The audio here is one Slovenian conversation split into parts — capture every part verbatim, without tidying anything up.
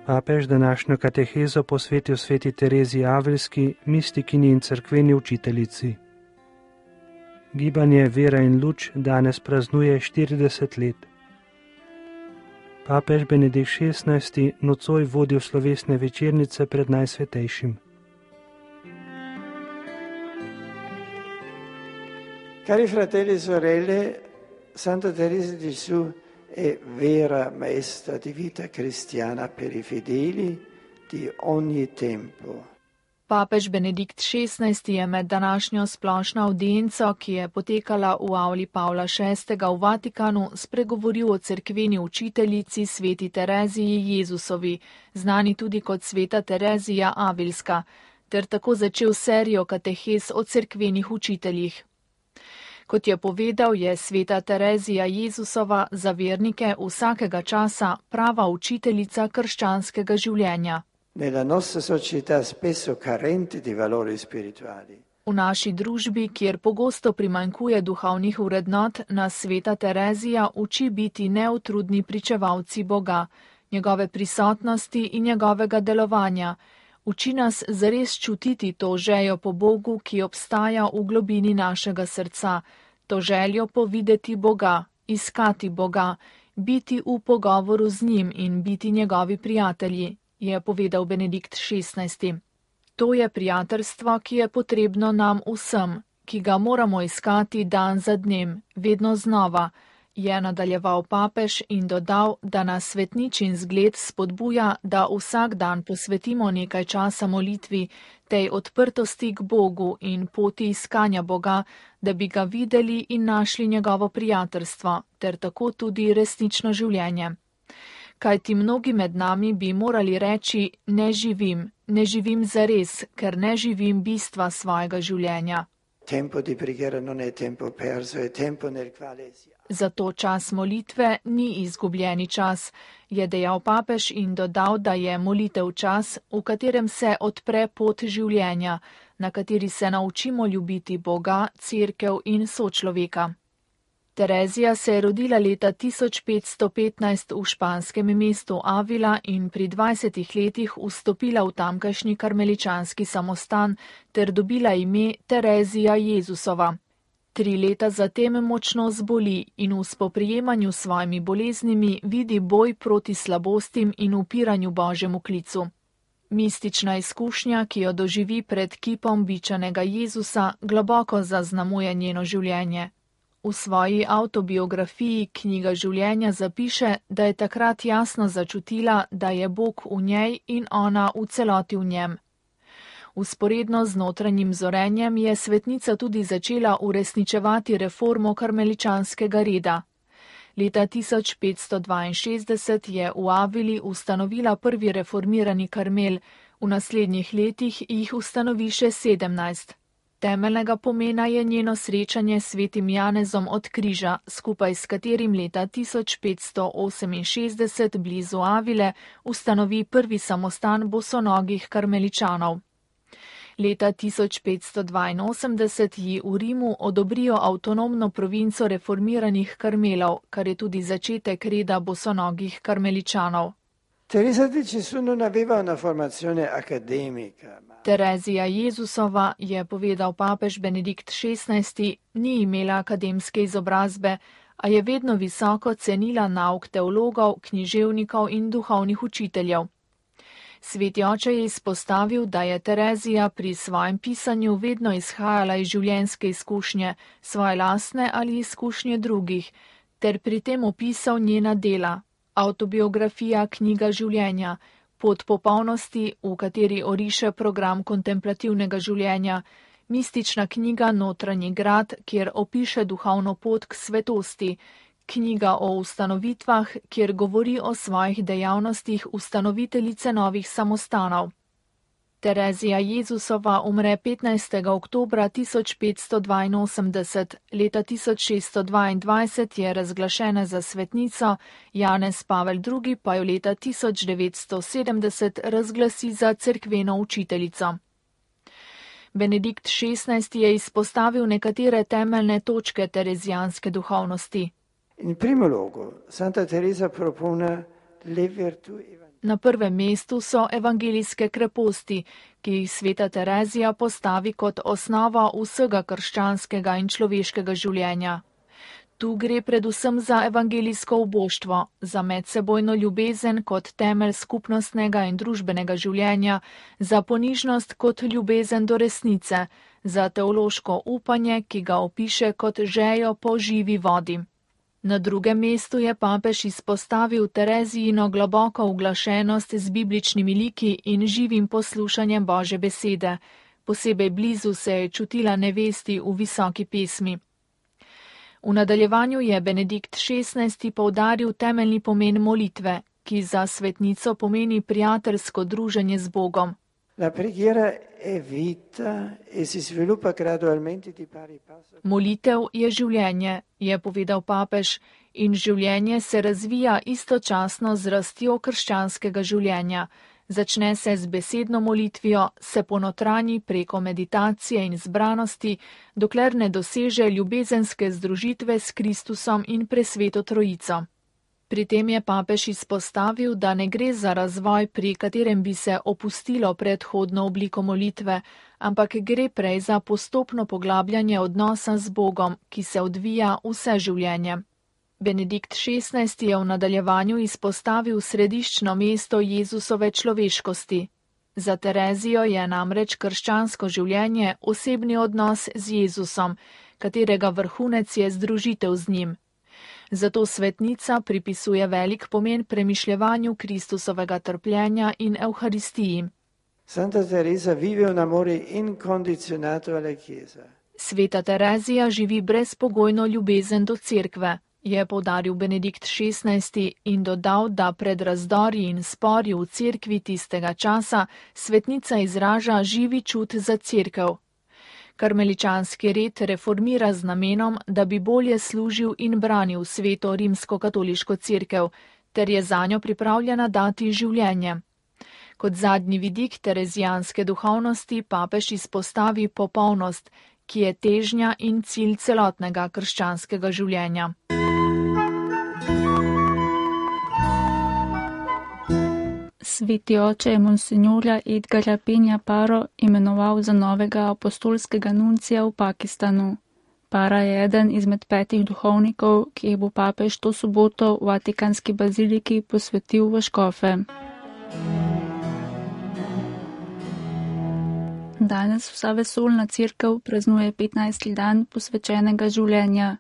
Papež današnjo katehezo posvetil sveti Tereziji Avilski, mistikini in cerkveni učiteljici. Gibanje Vera in luč danes praznuje štirideset let. Papež Benedikt šestnajsti nocoj vodil slovesne večernice pred Najsvetejšim. Cari fratelli e sorelle, Santa Teresa di Gesù è vera maestra di vita cristiana per i fedeli di ogni tempo. Papež Benedikt šestnajsti je med današnjo splošno avdienco, ki je potekala v avli Pavla šestega v Vatikanu, spregovoril o cerkveni učiteljici sveti Tereziji Jezusovi, znani tudi kot sveta Terezija Avilska, ter tako začel serijo katehez o cerkvenih učiteljih. Kot je povedal, je sveta Terezija Jezusova za vernike vsakega časa prava učiteljica krščanskega življenja. Nella nostra società spesso carente di valori spirituali. V naši družbi, kjer pogosto primanjkuje duhovnih vrednot, nas sveta Terezija uči biti neutrudni pričevalci Boga, njegove prisotnosti in njegovega delovanja. Uči nas zares čutiti to željo po Bogu, ki obstaja v globini našega srca, to željo po videti Boga, iskati Boga, biti v pogovoru z njim in biti njegovi prijatelji, je povedal Benedikt šestnajsti. To je prijateljstvo, ki je potrebno nam vsem, ki ga moramo iskati dan za dnem, vedno znova, je nadaljeval papež in dodal, da nas svetničin zgled spodbuja, da vsak dan posvetimo nekaj časa molitvi, tej odprtosti k Bogu in poti iskanja Boga, da bi ga videli in našli njegovo prijateljstvo, ter tako tudi resnično življenje. Kajti mnogi med nami bi morali reči, ne živim, ne živim zares, ker ne živim bistva svojega življenja. Tempo di preghiera non è tempo perso, è tempo nel quale si... Zato čas molitve ni izgubljeni čas, je dejal papež in dodal, da je molitev čas, v katerem se odpre pot življenja, na kateri se naučimo ljubiti Boga, cerkev in sočloveka. Terezija se je rodila leta tisoč petsto petnajst v španskem mestu Avila in pri dvajsetih letih vstopila v tamkajšnji karmeličanski samostan ter dobila ime Terezija Jezusova. Tri leta zatem močno zboli in v spoprijemanju s svojimi boleznimi vidi boj proti slabostim in upiranju Božjemu klicu. Mistična izkušnja, ki jo doživi pred kipom bičanega Jezusa, globoko zaznamuje njeno življenje. V svoji avtobiografiji Knjiga življenja zapiše, da je takrat jasno začutila, da je Bog v njej in ona v celoti v njem. Vzporedno z notranjim zorenjem je svetnica tudi začela uresničevati reformo karmeličanskega reda. Leta tisoč petsto dvainšestdeset je v Avili ustanovila prvi reformirani karmel, v naslednjih letih jih ustanovi še sedemnajst. Temeljnega pomena je njeno srečanje s svetim Janezom od križa, skupaj s katerim leta tisoč petsto oseminšestdeset blizu Avile ustanovi prvi samostan bosonogih karmeličanov. Leta tisoč petsto dvainosemdeset ji v Rimu odobrijo avtonomno provinco reformiranih karmelov, kar je tudi začetek reda bosonogih karmeličanov. Teresa di Gesù non aveva una formazione accademica. Terezija Jezusova, je povedal papež Benedikt šestnajsti, ni imela akademske izobrazbe, a je vedno visoko cenila nauk teologov, književnikov in duhovnih učiteljev. Sveti oče je izpostavil, da je Terezija pri svojem pisanju vedno izhajala iz življenjske izkušnje, svoje lastne ali izkušnje drugih, ter pri tem opisal njena dela, avtobiografija Knjiga življenja, pot popolnosti, v kateri oriše program kontemplativnega življenja, mistična knjiga Notranji grad, kjer opiše duhovno pot k svetosti, knjiga o ustanovitvah, kjer govori o svojih dejavnostih ustanoviteljice novih samostanov. Terezija Jezusova umre petnajstega oktobra tisoč petsto dvainosemdeset, leta tisoč šeststo dvaindvajset je razglašena za svetnico, Janez Pavel drugi pa jo leta tisoč devetsto sedemdeset razglasi za cerkveno učiteljico. Benedikt šestnajsti je izpostavil nekatere temeljne točke terezijanske duhovnosti. In primo luogo, Santa Teresa propone le virtù evangeliche. Na prvem mestu so evangelijske kreposti, ki jih sveta Terezija postavi kot osnova vsega krščanskega in človeškega življenja. Tu gre predvsem za evangelijsko uboštvo, za medsebojno ljubezen kot temelj skupnostnega in družbenega življenja, za ponižnost kot ljubezen do resnice, za teološko upanje, ki ga opiše kot žejo po živi vodi. Na drugem mestu je papež izpostavil Terezijino globoko uglašenost z bibličnimi liki in živim poslušanjem Božje besede. Posebej blizu se je čutila nevesti v visoki pesmi. V nadaljevanju je Benedikt šestnajsti poudaril temeljni pomen molitve, ki za svetnico pomeni prijateljsko druženje z Bogom. La preghiera è vita e si sviluppa gradualmente di pari passo. Molitev je življenje, je povedal papež, in življenje se razvija istočasno z rastjo krščanskega življenja. Začne se z besedno molitvijo, se ponotranji preko meditacije in zbranosti, dokler ne doseže ljubezenske združitve s Kristusom in presveto Trojico. Pri tem je papež izpostavil, da ne gre za razvoj, pri katerem bi se opustilo predhodno obliko molitve, ampak gre prej za postopno poglabljanje odnosa z Bogom, ki se odvija vse življenje. Benedikt šestnajsti je v nadaljevanju izpostavil središčno mesto Jezusove človeškosti. Za Terezijo je namreč krščansko življenje osebni odnos z Jezusom, katerega vrhunec je združitev z njim. Zato svetnica pripisuje velik pomen premišljevanju Kristusovega trpljenja in Evharistiji. Santa Teresa vive un amore incondizionato alla Chiesa. Sveta Terezija živi brezpogojno ljubezen do cerkve, je poudaril Benedikt šestnajsti in dodal, da pred razdori in spori v cerkvi tistega časa svetnica izraža živi čut za cerkev. Karmeličanski red reformira z namenom, da bi bolje služil in branil sveto rimsko-katoliško cerkev, ter je zanjo pripravljena dati življenje. Kot zadnji vidik terezijanske duhovnosti papež izpostavi popolnost, ki je težnja in cilj celotnega krščanskega življenja. Sveti oče je monsinjorja Edgarja Penja Paro imenoval za novega apostolskega nuncija v Pakistanu. Para je eden izmed petih duhovnikov, ki jih bo papež to soboto v Vatikanski baziliki posvetil v škofe. Danes vsa vesoljna cerkev praznuje petnajsti dan posvečenega življenja.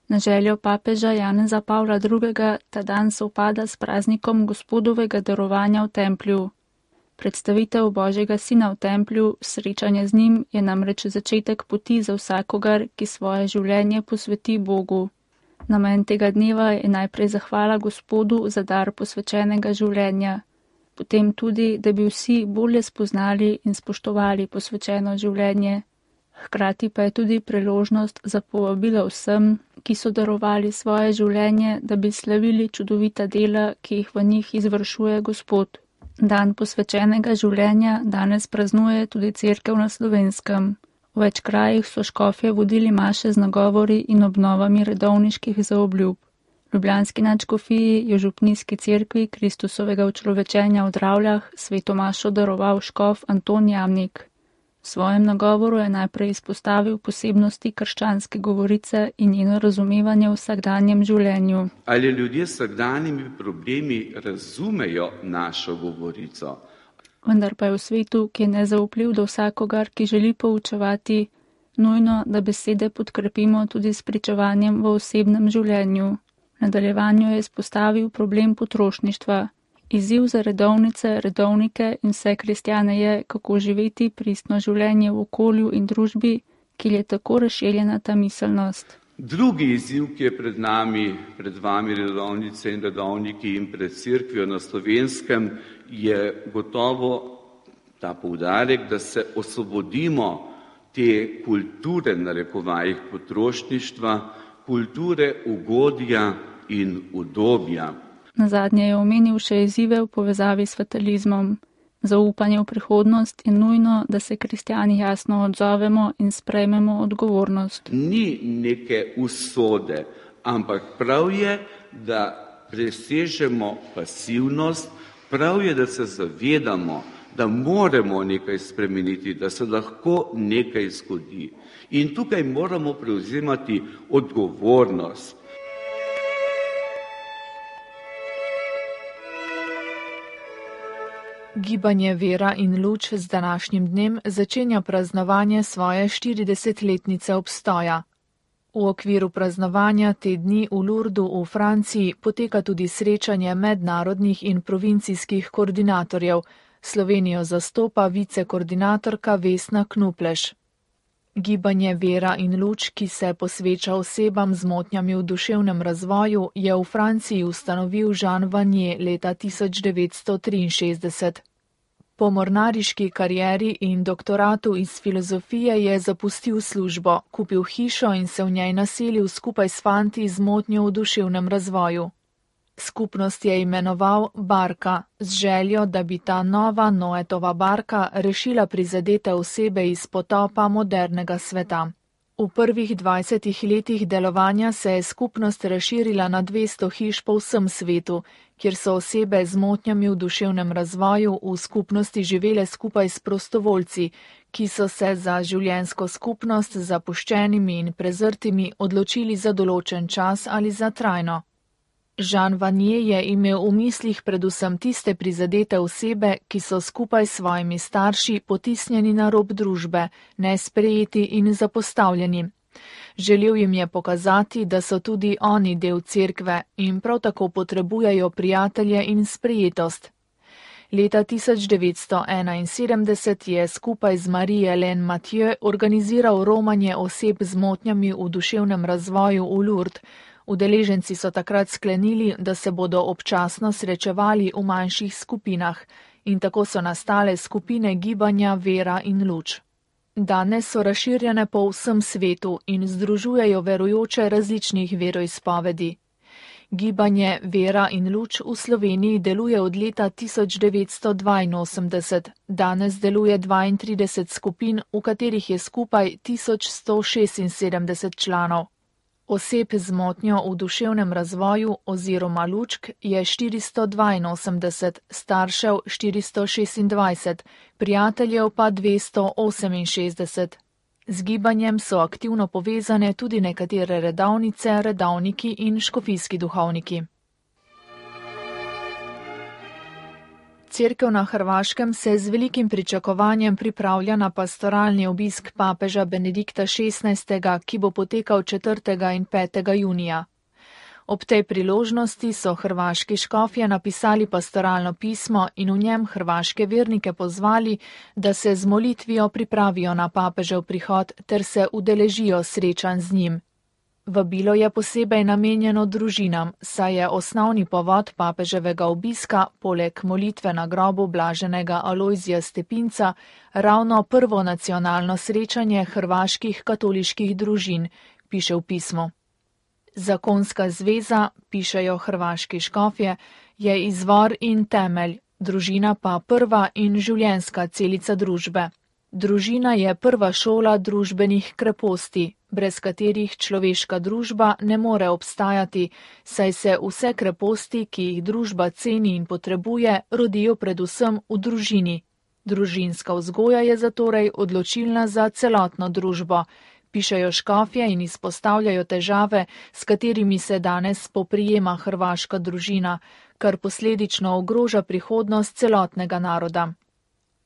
Na željo papeža Janeza Pavla drugega ta dan sovpada s praznikom Gospodovega darovanja v templju. Predstavitev Božjega sina v templju, srečanje z njim je namreč začetek poti za vsakogar, ki svoje življenje posveti Bogu. Namen tega dneva je najprej zahvala Gospodu za dar posvečenega življenja, potem tudi, da bi vsi bolje spoznali in spoštovali posvečeno življenje. Hkrati pa je tudi priložnost za povabilo vsem, ki so darovali svoje življenje, da bi slavili čudovita dela, ki jih v njih izvršuje Gospod. Dan posvečenega življenja danes praznuje tudi cerkev na Slovenskem. V več krajih so škofje vodili maše z nagovori in obnovami redovniških zaobljub. Ljubljanski nadškofiji je župnijski cerkvi Kristusovega učlovečenja v Dravljah sveto mašo daroval škof Anton Jamnik. V svojem nagovoru je najprej izpostavil posebnosti krščanske govorice in njeno razumevanje v vsakdanjem življenju. Ali ljudje s vsakdanjimi problemi razumejo našo govorico? Vendar pa je v svetu, ki je nezaupljiv do vsakogar, ki želi poučevati, nujno, da besede podkrepimo tudi s pričevanjem v osebnem življenju. V nadaljevanju je izpostavil problem potrošništva. Izziv za redovnice, redovnike in vse kristjane je, kako živeti pristno življenje v okolju in družbi, ki je tako razširjena ta miselnost. Drugi izziv, ki je pred nami, pred vami redovnice in redovniki in pred cerkvijo na Slovenskem, je gotovo ta poudarek, da se osvobodimo te kulture, narekovajih potrošništva, kulture ugodja in udobja. Nazadnje je omenil še izzive v povezavi s fatalizmom. Zaupanje v prihodnost je nujno, da se kristjani jasno odzovemo in sprejmemo odgovornost. Ni neke usode, ampak prav je, da presežemo pasivnost, Prav je, da se zavedamo, da moramo nekaj spremeniti, da se lahko nekaj zgodi. In tukaj moramo prevzemati odgovornost. Gibanje Vera in luč z današnjim dnem začenja praznovanje svoje štiridesetletnice obstoja. V okviru praznovanja te dni v Lourdu v Franciji poteka tudi srečanje mednarodnih in provincijskih koordinatorjev. Slovenijo zastopa vicekoordinatorka Vesna Knupleš. Gibanje Vera in luč, ki se posveča osebam z motnjami v duševnem razvoju, je v Franciji ustanovil Jean Vanier leta tisoč devetsto triinšestdeset. Po mornariški karieri in doktoratu iz filozofije je zapustil službo, kupil hišo in se v njej naselil skupaj s fanti z motnjo v duševnem razvoju. Skupnost je imenoval Barka, z željo, da bi ta nova Noetova barka rešila prizadete osebe iz potopa modernega sveta. V prvih dvajsetih letih delovanja se je skupnost razširila na dvesto hiš po vsem svetu, kjer so osebe z motnjami v duševnem razvoju v skupnosti živele skupaj s prostovoljci, ki so se za življenjsko skupnost z zapuščenimi in prezrtimi odločili za določen čas ali za trajno. Jean Vanier je imel v mislih predvsem tiste prizadete osebe, ki so skupaj s svojimi starši potisnjeni na rob družbe, nesprejeti in zapostavljeni. Želel jim je pokazati, da so tudi oni del cerkve in prav tako potrebujejo prijatelje in sprejetost. Leta tisoč devetsto enainsedemdeset je skupaj z Marie-Hélène Mathieu organiziral romanje oseb z motnjami v duševnem razvoju v Lourdes. Udeleženci so takrat sklenili, da se bodo občasno srečevali v manjših skupinah in tako so nastale skupine gibanja Vera in luč. Danes so razširjene po vsem svetu in združujejo verujoče različnih veroizpovedi. Gibanje Vera in luč v Sloveniji deluje od leta tisoč devetsto dvainosemdeset. Danes deluje dvaintrideset skupin, v katerih je skupaj tisoč sto šestinsedemdeset članov. Oseb z motnjo v duševnem razvoju oziroma lučk je štiristo dvainosemdeset, staršev štiristo šestindvajset, prijateljev pa dvesto oseminšestdeset. Z gibanjem so aktivno povezane tudi nekatere redovnice, redovniki in škofijski duhovniki. Cerkev na Hrvaškem se z velikim pričakovanjem pripravlja na pastoralni obisk papeža Benedikta šestnajstega, ki bo potekal četrtega in petega junija. Ob tej priložnosti so hrvaški škofje napisali pastoralno pismo in v njem hrvaške vernike pozvali, da se z molitvijo pripravijo na papežev prihod ter se udeležijo srečanj z njim. Vabilo je posebej namenjeno družinam, saj je osnovni povod papeževega obiska, poleg molitve na grobu blaženega Alojzija Stepinca, ravno prvo nacionalno srečanje hrvaških katoliških družin, piše v pismu. Zakonska zveza, pišejo hrvaški škofje, je izvor in temelj, družina pa prva in življenjska celica družbe. Družina je prva šola družbenih kreposti, brez katerih človeška družba ne more obstajati, saj se vse kreposti, ki jih družba ceni in potrebuje, rodijo predvsem v družini. Družinska vzgoja je zatorej odločilna za celotno družbo, pišejo škofje in izpostavljajo težave, s katerimi se danes spoprijema hrvaška družina, kar posledično ogroža prihodnost celotnega naroda.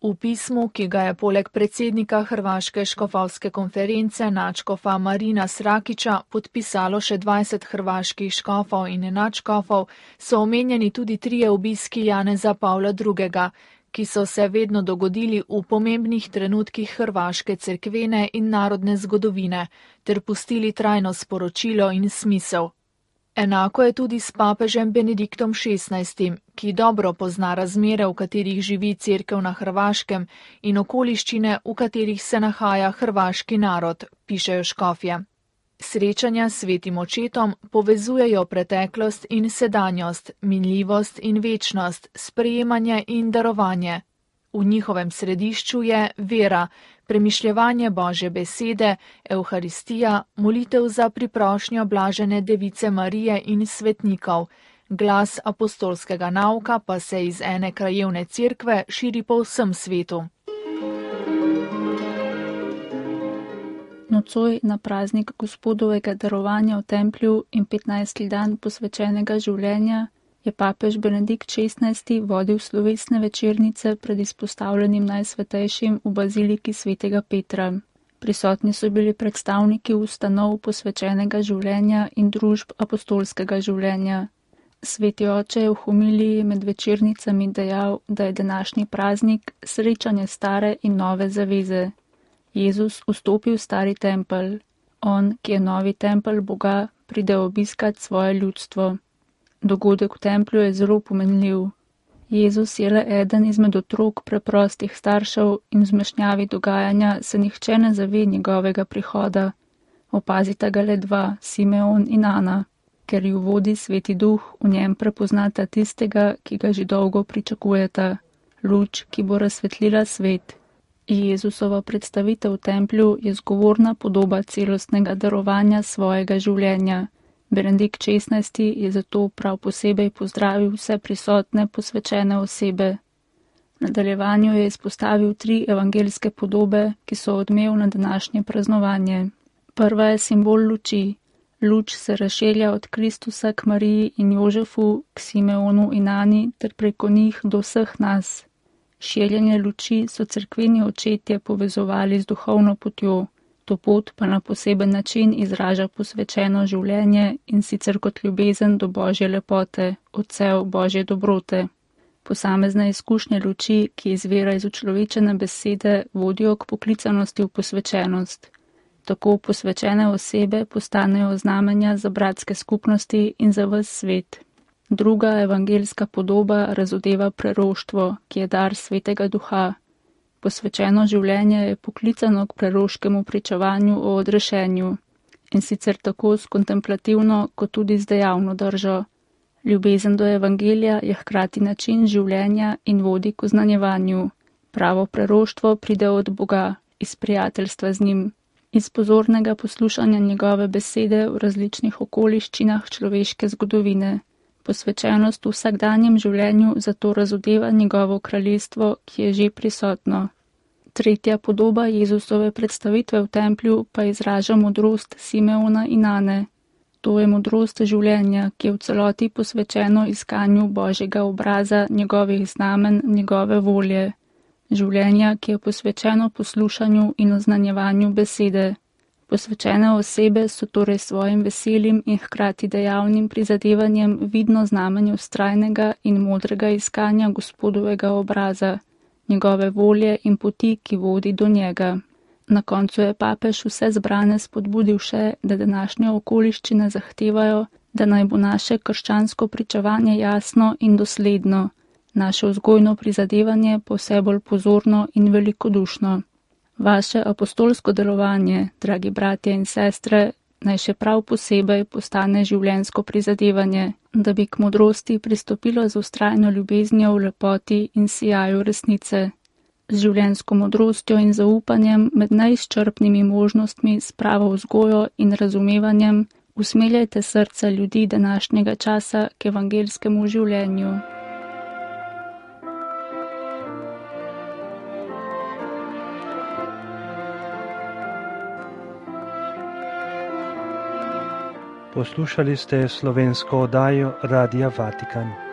V pismu, ki ga je poleg predsednika Hrvaške škofovske konference nadškofa Marina Srakića podpisalo še dvajset hrvaških škofov in nadškofov, so omenjeni tudi trije obiski Janeza Pavla drugega, ki so se vedno dogodili v pomembnih trenutkih hrvaške cerkvene in narodne zgodovine, ter pustili trajno sporočilo in smisel. Enako je tudi s papežem Benediktom šestnajstim, ki dobro pozna razmere, v katerih živi cerkev na Hrvaškem in okoliščine, v katerih se nahaja hrvaški narod, pišejo škofje. Srečanja s svetim očetom povezujejo preteklost in sedanjost, minljivost in večnost, sprejemanje in darovanje. V njihovem središču je vera, premišljevanje Božje besede, evharistija, molitev za priprošnjo blažene device Marije in svetnikov, Glas apostolskega nauka pa se iz ene krajevne cerkve širi po vsem svetu. Nocoj na praznik Gospodovega darovanja v templju in petnajsti dan posvečenega življenja je papež Benedikt šestnajsti vodil slovesne večernice pred izpostavljenim najsvetejšim v baziliki svetega Petra. Prisotni so bili predstavniki ustanov posvečenega življenja in družb apostolskega življenja. Sveti oče je v homiliji med večernicami dejal, da je današnji praznik srečanje stare in nove zaveze. Jezus vstopi v stari tempelj. On, ki je novi tempelj Boga, pride obiskat svoje ljudstvo. Dogodek v templju je zelo pomenljiv. Jezus je le eden izmed otrok preprostih staršev in v zmešnjavi dogajanja se nihče ne zave njegovega prihoda. Opazita ga le dva, Simeon in Ana. Ker ju vodi Sveti Duh, v njem prepoznata tistega, ki ga že dolgo pričakujeta. Luč, ki bo razsvetlila svet. Jezusova predstavitev v templju je zgovorna podoba celostnega darovanja svojega življenja. Benedikt šestnajsti je zato prav posebej pozdravil vse prisotne posvečene osebe. V nadaljevanju je izpostavil tri evangeljske podobe, ki so odmev na današnje praznovanje. Prva je simbol luči. Luč se razširja od Kristusa k Mariji in Jožefu, k Simeonu in Ani ter preko njih do vseh nas. Širjenje luči so cerkveni očetje povezovali z duhovno potjo. To pot pa na poseben način izraža posvečeno življenje in sicer kot ljubezen do Božje lepote, odsev Božje dobrote. Posamezne izkušnje luči, ki izvira iz učlovečene besede, vodijo k poklicanosti v posvečenost. Tako posvečene osebe postanejo znamenja za bratske skupnosti in za ves svet. Druga evangeljska podoba razodeva preroštvo, ki je dar Svetega Duha. Posvečeno življenje je poklicano k preroškemu pričevanju o odrešenju, in sicer tako s kontemplativno kot tudi z dejavno držo. Ljubezen do evangelija je hkrati način življenja in vodi k oznanjevanju. Pravo preroštvo pride od Boga, iz prijateljstva z njim, iz pozornega poslušanja njegove besede v različnih okoliščinah človeške zgodovine. Posvečenost v vsakdanjem življenju zato razodeva njegovo kraljestvo, ki je že prisotno. Tretja podoba Jezusove predstavitve v templju pa izraža modrost Simeona in Ane. To je modrost življenja, ki je v celoti posvečeno iskanju Božjega obraza, njegovih znamen, njegove volje. Življenja, ki je posvečeno poslušanju in oznanjevanju besede. Posvečene osebe so torej svojim veselim in hkrati dejavnim prizadevanjem vidno znamenje vztrajnega in modrega iskanja Gospodovega obraza, njegove volje in poti, ki vodi do njega. Na koncu je papež vse zbrane spodbudil še, da današnje okoliščine zahtevajo, da naj bo naše krščansko pričevanje jasno in dosledno, naše vzgojno prizadevanje pa vse bolj pozorno in velikodušno. Vaše apostolsko delovanje, dragi bratje in sestre, naj še prav posebej postane življenjsko prizadevanje, da bi k modrosti pristopilo z vztrajno ljubeznijo v lepoti in sijaju resnice. Z življenjsko modrostjo in zaupanjem med neizčrpnimi možnostmi s pravo vzgojo in razumevanjem usmeljajte srca ljudi današnjega časa k evangeljskemu življenju. Poslušali ste slovensko oddajo Radia Vatikan.